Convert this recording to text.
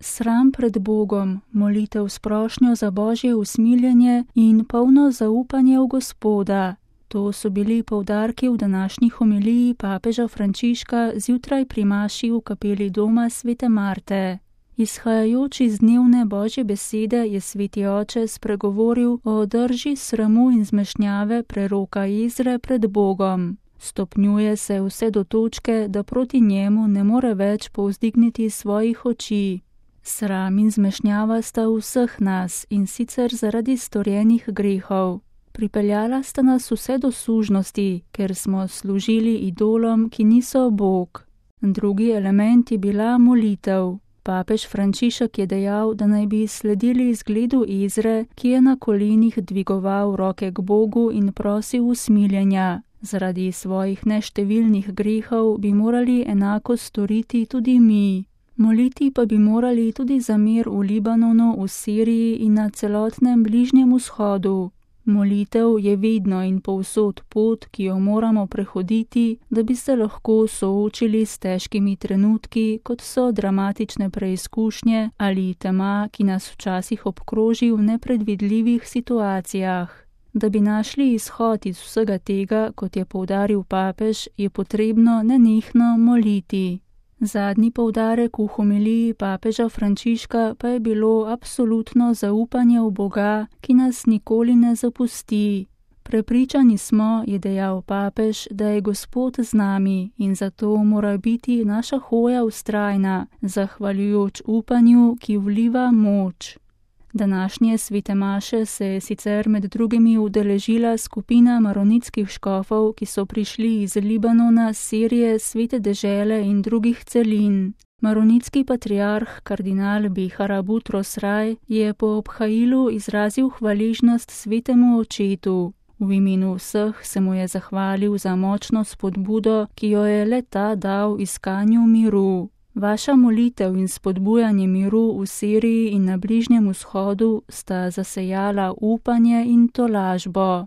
Sram pred Bogom, molitev s prošnjo za Božje usmiljenje in polno zaupanje v Gospoda. To so bili poudarki v današnji homiliji papeža Frančiška zjutraj pri maši v kapeli doma svete Marte. Izhajajoč iz dnevne Božje besede je sveti oče spregovoril o drži sramu in zmešnjave preroka Ezre pred Bogom. Stopnjuje se vse do točke, da proti njemu ne more več povzdigniti svojih oči. Sram in zmešnjava sta vseh nas, in sicer zaradi storjenih grehov. Pripeljala sta nas vse do sužnosti, ker smo služili idolom, ki niso Bog. Drugi element je bila molitev. Papež Frančišek je dejal, da naj bi sledili zgledu Ezre, ki je na kolenih dvigoval roke k Bogu in prosil usmiljenja. Zaradi svojih neštevilnih grehov bi morali enako storiti tudi mi. Moliti pa bi morali tudi za mir v Libanonu, v Siriji in na celotnem Bližnjem vzhodu. Molitev je vedno in povsod pot, ki jo moramo prehoditi, da bi se lahko soočili s težkimi trenutki, kot so dramatične preizkušnje ali tema, ki nas včasih obkroži v nepredvidljivih situacijah. Da bi našli izhod iz vsega tega, kot je poudaril papež, je potrebno nenehno moliti. Zadnji poudarek v homiliji papeža Frančiška pa je bilo absolutno zaupanje v Boga, ki nas nikoli ne zapusti. Prepričani smo, je dejal papež, da je Gospod z nami in zato mora biti naša hoja vztrajna, zahvaljujoč upanju, ki vliva moč. Današnje svete maše se je sicer med drugimi udeležila skupina maronitskih škofov, ki so prišli iz Libanona, Sirije, Svete dežele in drugih celin. Maronitski patriarh kardinal Bihara Butros Raj je po obhajilu izrazil hvaležnost svetemu očetu. V imenu vseh se mu je zahvalil za močno spodbudo, ki jo je le-ta dal iskanju miru. Vaša molitev in spodbujanje miru v Siriji in na Bližnjem vzhodu sta zasejala upanje in tolažbo.